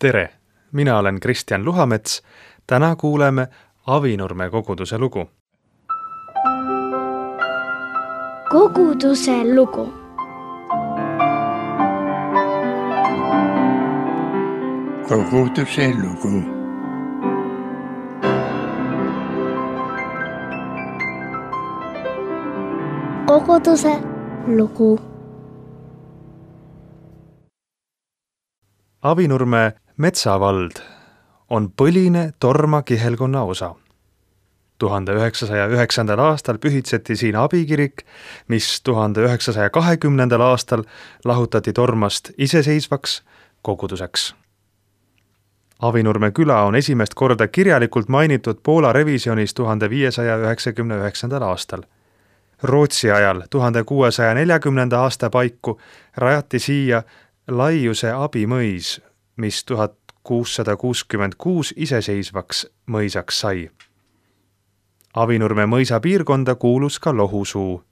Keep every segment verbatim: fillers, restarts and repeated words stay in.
Tere! Mina olen Kristjan Luhamets. Täna kuuleme Avinurme koguduse lugu. Koguduse lugu. Koguduse lugu. Koguduse lugu. Avinurme metsavald on põline Torma kihelkonna osa. tuhande üheksasaja üheksandal aastal pühitseti siin abikirik, mis tuhande üheksasaja kahekümnendal aastal lahutati Tormast iseseisvaks koguduseks. Avinurme küla on esimest korda kirjalikult mainitud Poola revisjonis tuhande viiesaja üheksakümne üheksandal aastal. Rootsi ajal tuhande kuuesaja neljakümnenda aasta paiku rajati siia Laiuse abimõis, mis tuhat kuussada kuuskümmend kuus iseseisvaks mõisaks sai. Avinurme mõisa piirkonda kuulus ka Lohusuu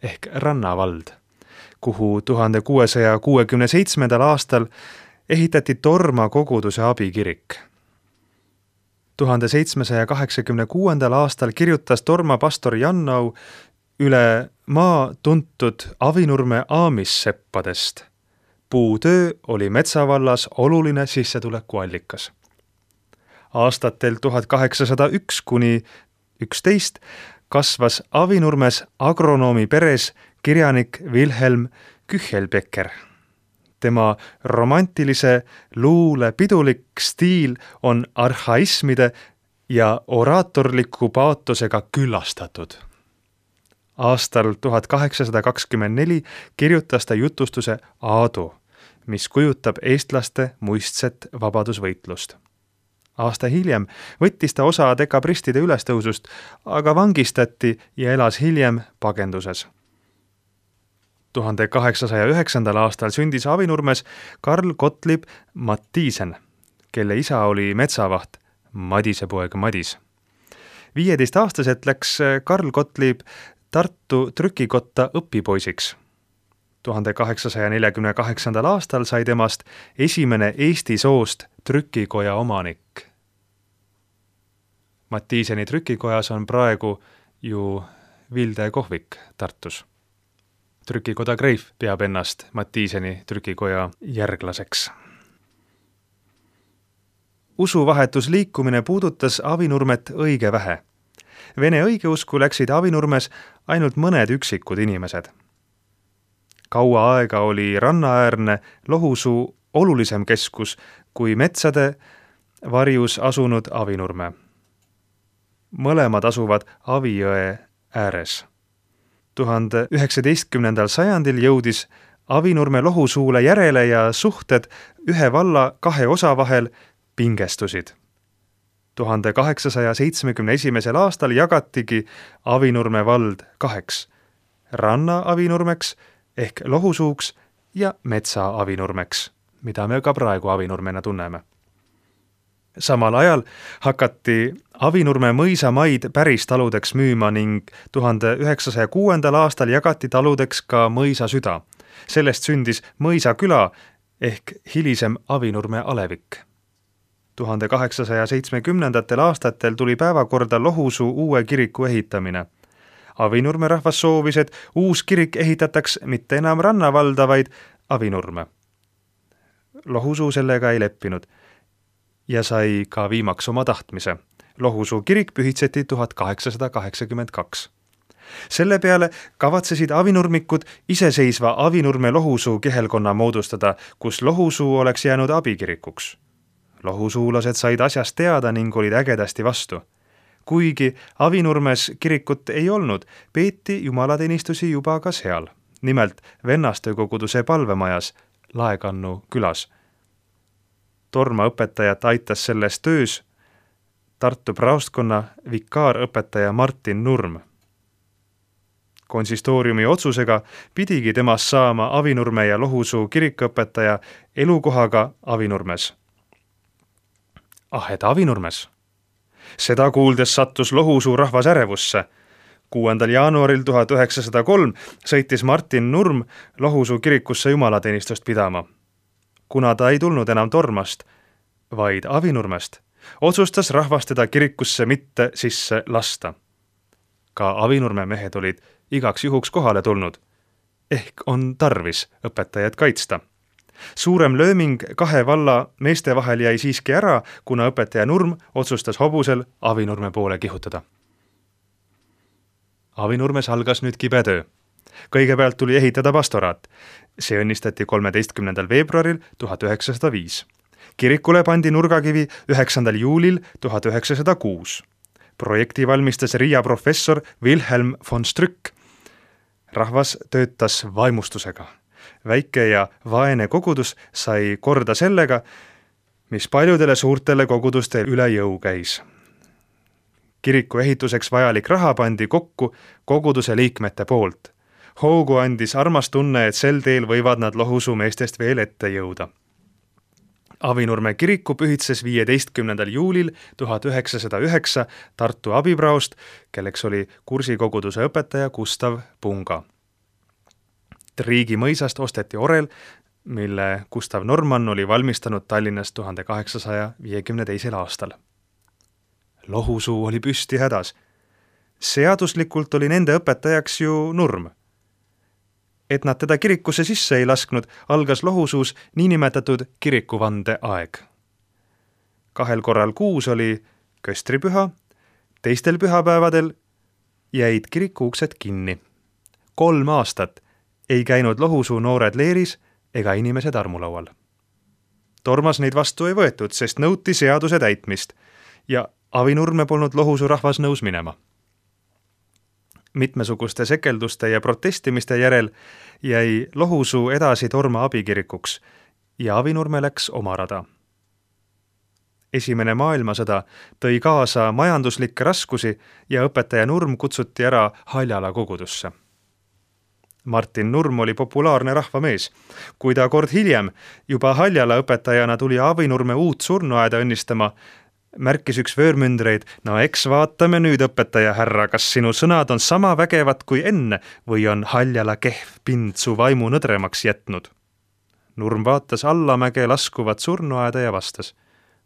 ehk rannavald, kuhu tuhande kuuesaja kuuekümne seitsmendal aastal ehitati Torma koguduse abikirik. tuhande seitsmesaja kaheksakümne kuuendal aastal kirjutas Torma pastor Jannau üle maa tuntud Avinurme aamisseppadest. Puutöö oli metsavallas oluline sissetulekuallikas. Aastatel tuhat kaheksasada üks kuni üksteist kasvas Avinurmes agronoomi peres kirjanik Wilhelm Küchelbecker. Tema romantilise luule pidulik stiil on arhaismide ja oraatorliku paatosega küllastatud. Aastal tuhat kaheksasada kakskümmend neli kirjutas ta jutustuse Aadu, mis kujutab eestlaste muistset vabadusvõitlust. Aasta hiljem võttis ta osa dekabristide ülestõusust, aga vangistati ja elas hiljem pagenduses. tuhande kaheksasaja üheksandal aastal sündis Avinurmes Karl Gottlieb Mattiisen, kelle isa oli metsavaht Madise poeg Madis. viieteistaastaselt läks Karl Gottlieb Tartu trükikotta õpipoisiks. tuhande kaheksasaja neljakümne kaheksandal aastal sai temast esimene Eesti soost trükikoja omanik. Mattiiseni trükikojas on praegu ju Vilde kohvik Tartus. Trükikoda Greif peab ennast Mattiiseni trükikoja järglaseks. Usuvahetusliikumine puudutas Avinurmet õige vähe. Vene õigeusku läksid Avinurmes ainult mõned üksikud inimesed. Kaua aega oli rannaäärne Lohusuu olulisem keskus kui metsade varjus asunud Avinurme. Mõlemad asuvad Avijõe ääres. tuhande üheksateistkümnendal sajandil jõudis Avinurme Lohusuule järele ja suhted ühe valla kahe osa vahel pingestusid. tuhande kaheksasaja seitsmekümne esimesel aastal jagatigi Avinurme vald kaheks, ranna Avinurmeks ehk Lohusuuks ja metsa Avinurmeks, mida me ka praegu Avinurmena tunneme. Samal ajal hakati Avinurme mõisa maid päris taludeks müüma ning tuhande üheksasaja kuuendal aastal jagati taludeks ka mõisa süda. Sellest sündis mõisa küla ehk hilisem Avinurme alevik. tuhande kaheksasaja seitsmekümnendatel aastatel tuli päevakorda Lohusuu uue kiriku ehitamine. Avinurme rahvas soovis, et uus kirik ehitataks mitte enam rannavalda, vaid Avinurme. Lohusuu sellega ei leppinud ja sai ka viimaks oma tahtmise. Lohusuu kirik pühitseti tuhat kaheksasada kaheksakümmend kaks. Selle peale kavatsesid avinurmikud iseseisva Avinurme Lohusuu kihelkonna moodustada, kus Lohusuu oleks jäänud abikirikuks. Lohusuulased said asjast teada ning olid ägedasti vastu. Kuigi Avinurmes kirikut ei olnud, peeti jumalateenistusi juba ka seal, nimelt Vennaste koguduse palvemajas Laekannu külas. Torma õpetajat aitas selles töös Tartu praostkonna vikaarõpetaja Martin Nurm. Konsistooriumi otsusega pidigi temast saama Avinurme ja Lohusuu kirikuõpetaja elukohaga Avinurmes. Ah, et Avinurmes? Seda kuuldes sattus Lohusuu rahvas ärevusse. kuuendal jaanuaril tuhat üheksasada kolm sõitis Martin Nurm Lohusuu kirikusse jumalateenistust pidama. Kuna ta ei tulnud enam Tormast, vaid Avinurmest, otsustas rahvas teda kirikusse mitte sisse lasta. Ka Avinurme mehed olid igaks juhuks kohale tulnud. Ehk on tarvis õpetajat kaitsta. Suurem lööming kahe valla meeste vahel jäi siiski ära, kuna õpetaja Nurm otsustas hobusel Avinurme poole kihutada. Avinurmes algas nüüd kibe töö. Kõigepealt tuli ehitada pastoraat. See õnnistati kolmeteistkümnendal veebruaril tuhat üheksasada viis. Kirikule pandi nurgakivi üheksandal juulil tuhat üheksasada kuus. Projekti valmistas Riia professor Wilhelm von Strück. Rahvas töötas vaimustusega. Väike ja vaene kogudus sai korda sellega, mis paljudele suurtele kogudustel üle jõu käis. Kiriku ehituseks vajalik raha pandi kokku koguduse liikmete poolt. Hoogu andis armas tunne, et sel teel võivad nad Lohusu meestest veel ette jõuda. Avinurme kiriku pühitses viieteistkümnendal juulil tuhat üheksasada üheksa Tartu abipraost, kelleks oli kursikoguduse õpetaja Gustav Punga. Riigi mõisast osteti orel, mille Gustav Norman oli valmistanud Tallinnas tuhande kaheksasaja viiekümne teisel aastal. Lohusuu oli püsti hädas. Seaduslikult oli nende õpetajaks ju Nurm. Et nad teda kirikusse sisse ei lasknud, algas Lohusuus niinimetatud kirikuvande aeg. Kahel korral kuus oli köstripüha, teistel pühapäevadel jäid kiriku uksed kinni. Kolm aastat ei käinud Lohusuu noored leeris ega inimesed armulaual. Tormas neid vastu ei võetud, sest nõuti seaduse täitmist ja Avinurme polnud Lohusuu rahvas nõus minema. Mitmesuguste sekelduste ja protestimiste järel jäi Lohusuu edasi Torma abikirikuks ja Avinurme läks oma rada. Esimene maailmasõda tõi kaasa majanduslikke raskusi ja õpetaja Nurm kutsuti ära Haljala kogudusse. Martin Nurm oli populaarne rahvamees. Kui ta kord hiljem juba Haljala õpetajana tuli Avinurme uut surnuaeda õnnistama, märkis üks vöörmündreid, no eks vaatame nüüd, õpetaja härra, kas sinu sõnad on sama vägevad kui enne või on Haljala kehv pind su vaimu nõdremaks jätnud. Nurm vaatas allamäge laskuvat surnuaeda ja vastas.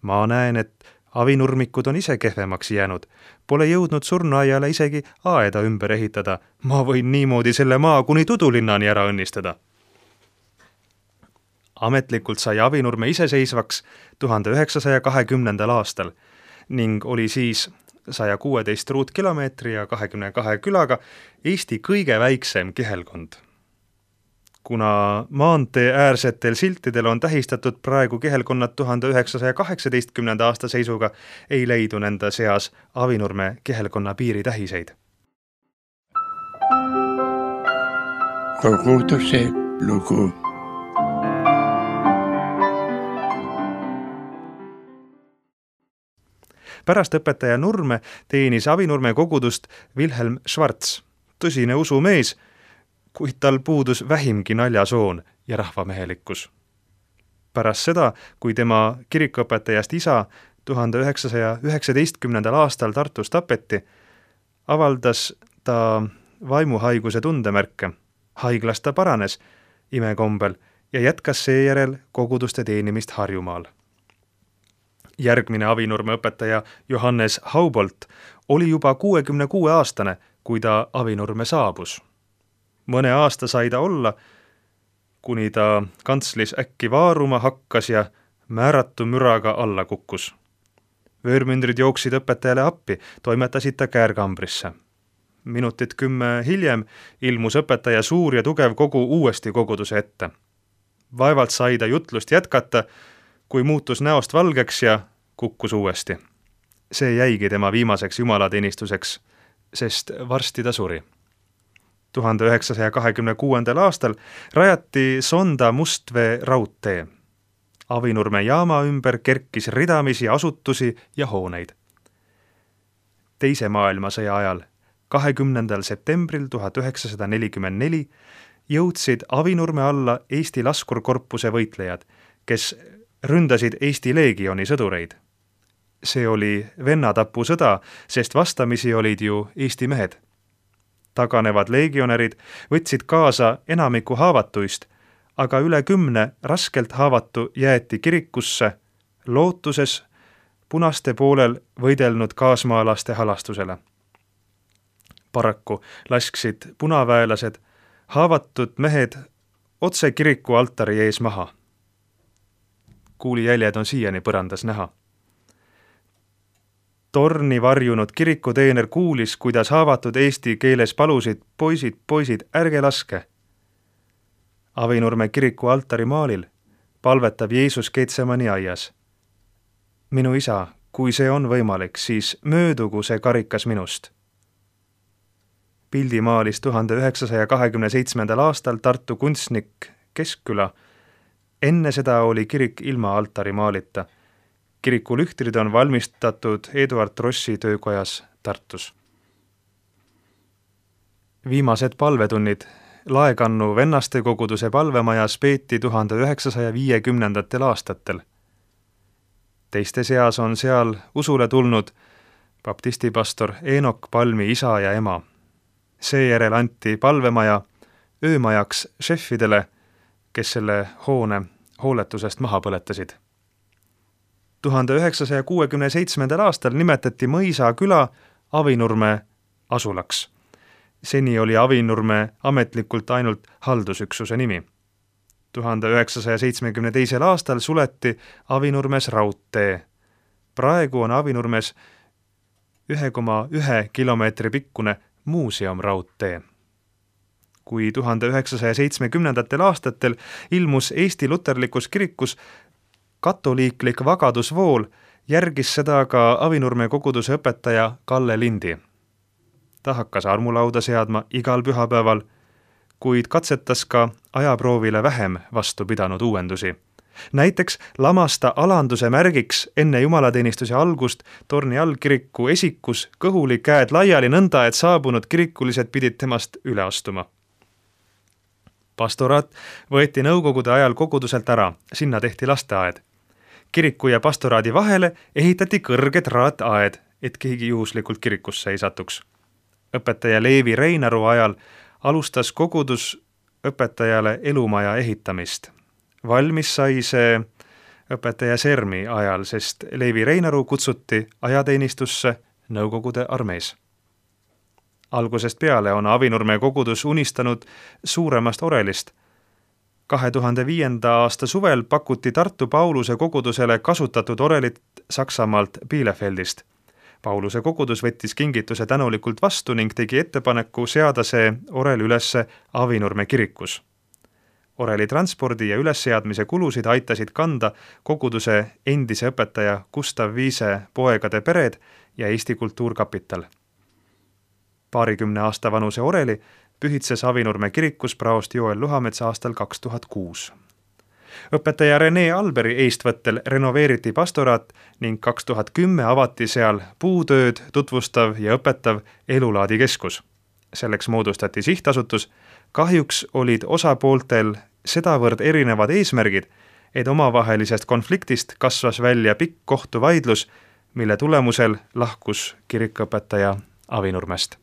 Ma näen, et avinurmikud on ise kehvemaks jäänud. Pole jõudnud surnuaiale isegi aeda ümber ehitada. Ma võin niimoodi selle maa kuni Tudulinnani ära õnnistada. Ametlikult sai Avinurme iseseisvaks tuhande üheksasaja kahekümnendal aastal ning oli siis saja kuueteist ruutkilomeetri ja kahekümne kahe külaga Eesti kõige väiksem kihelkond. Kuna maantee äärsetel siltidel on tähistatud praegu kihelkonnad tuhande üheksasaja kaheksateistkümnenda aasta seisuga, ei leidu nende seas Avinurme kihelkonna piiritähiseid. Koguduse lugu. Pärast õpetaja Nurme teenis Avinurme kogudust Wilhelm Schwarz, tõsine usumees, kuid tal puudus vähimgi naljasoon ja rahvamehelikkus. Pärast seda, kui tema kirikuõpetajast isa tuhande üheksasaja üheksateistkümnendal aastal Tartus tapeti, avaldas ta vaimuhaiguse tundemärke. Haiglas ta paranes imekombel ja jätkas seejärel koguduste teenimist Harjumaal. Järgmine Avinurme õpetaja Johannes Haubolt oli juba kuuekümne kuue aastane, kui ta Avinurme saabus. Mõne aasta sai ta olla, kuni ta kantslis äkki vaaruma hakkas ja määratu müraga alla kukkus. Vöörmündrid jooksid õpetajale appi, toimetasid ta käärkambrisse. Minutit kümme hiljem ilmus õpetaja suur ja tugev kogu uuesti koguduse ette. Vaevalt sai ta jutlust jätkata, kui muutus näost valgeks ja kukkus uuesti. See jäigi tema viimaseks jumalateenistuseks, sest varsti ta suri. tuhande üheksasaja kahekümne kuuendal aastal rajati Sonda Mustvee raudtee. Avinurme jaama ümber kerkis ridamisi asutusi ja hooneid. Teise maailmasõja ajal, kahekümnendal septembril tuhat üheksasada nelikümmend neli, jõudsid Avinurme alla Eesti laskurkorpuse võitlejad, kes ründasid Eesti leegioni sõdureid. See oli vennatapusõda, sest vastamisi olid ju Eesti mehed. Taganevad leegionärid võtsid kaasa enamiku haavatuist, aga üle kümne raskelt haavatu jäeti kirikusse, lootuses punaste poolel võidelnud kaasmaalaste halastusele. Paraku lasksid punaväelased haavatud mehed otse kiriku altari ees maha. Kuulijäljed on siiani põrandas näha. Torni varjunud kirikuteener kuulis, kuidas haavatud eesti keeles palusid: poisid, poisid, ärge laske. Avinurme kiriku altari maalil palvetab Jeesus Getsemani aias. Minu isa, kui see on võimalik, siis möödugu see karikas minust. Pildi maalis tuhande üheksasaja kahekümne seitsmendal aastal Tartu kunstnik Keskküla. Enne seda oli kirik ilma altari maalita. Kiriku lühtrid on valmistatud Eduard Rossi töökojas Tartus. Viimased palvetunnid Laekannu vennaste koguduse palvemajas peeti tuhande üheksasaja viiekümnendatel aastatel. Teiste seas on seal usule tulnud baptistipastor Eenok Palmi isa ja ema. Seejärel anti palvemaja öömajaks šefidele, kes selle hoone hooletusest maha põletasid. tuhande üheksasaja kuuekümne seitsmendal aastal nimetati Mõisa küla Avinurme asulaks. Seni oli Avinurme ametlikult ainult haldusüksuse nimi. tuhande üheksasaja seitsmekümne teisel aastal suleti Avinurmes raudtee. Praegu on Avinurmes ühe koma ühe kilomeetri pikkune muuseumraudtee. Kui tuhande üheksasaja seitsmekümnendatel aastatel ilmus Eesti luterlikus kirikus katoliiklik vagadusvool, järgis seda ka Avinurme koguduse õpetaja Kalle Lindi. Ta hakkas armulauda seadma igal pühapäeval, kuid katsetas ka ajaproovile vähem vastu pidanud uuendusi. Näiteks lamas ta alanduse märgiks enne jumalateenistuse algust torni all kiriku esikus kõhuli käed laiali nõnda, et saabunud kirikulised pidid temast üle astuma. Pastoraat võeti nõukogude ajal koguduselt ära, sinna tehti lasteaed. Kiriku ja pastoraadi vahele ehitati kõrge traataed, et keegi juhuslikult kirikusse ei satuks. Õpetaja Leevi Reinaru ajal alustas kogudus õpetajale elumaja ehitamist. Valmis sai see õpetaja Sermi ajal, sest Leevi Reinaru kutsuti ajateenistusse Nõukogude armees. Algusest peale on Avinurme kogudus unistanud suuremast orelist. kahe tuhande viienda aasta suvel pakuti Tartu Pauluse kogudusele kasutatud orelit Saksamaalt Bielefeldist. Pauluse kogudus võttis kingituse tänulikult vastu ning tegi ettepaneku seada see orel ülesse Avinurme kirikus. Oreli transpordi ja ülesseadmise kulusid aitasid kanda koguduse endise õpetaja Gustav Viise poegade pered ja Eesti Kultuurkapital. Paarikümne aasta vanuse oreli pühitses Avinurme kirikus praost Joel Luhamets aastal kaks tuhat kuus. Õpetaja Rene Alberi eestvõttel renoveeriti pastoraat ning kaks tuhat kümme avati seal puutööd tutvustav ja õpetav elulaadikeskus. Selleks moodustati sihtasutus. Kahjuks olid osapooltel sedavõrd erinevad eesmärgid, et omavahelisest konfliktist kasvas välja pikk kohtuvaidlus, mille tulemusel lahkus kirikuõpetaja Avinurmest.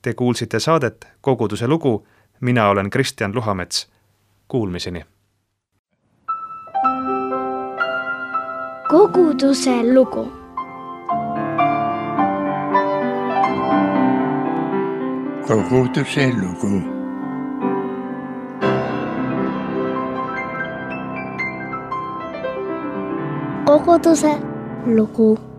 Te kuulsite saadet Koguduse lugu. Mina olen Kristjan Luhamets. Kuulmiseni. Koguduse lugu. Koguduse lugu. Koguduse lugu.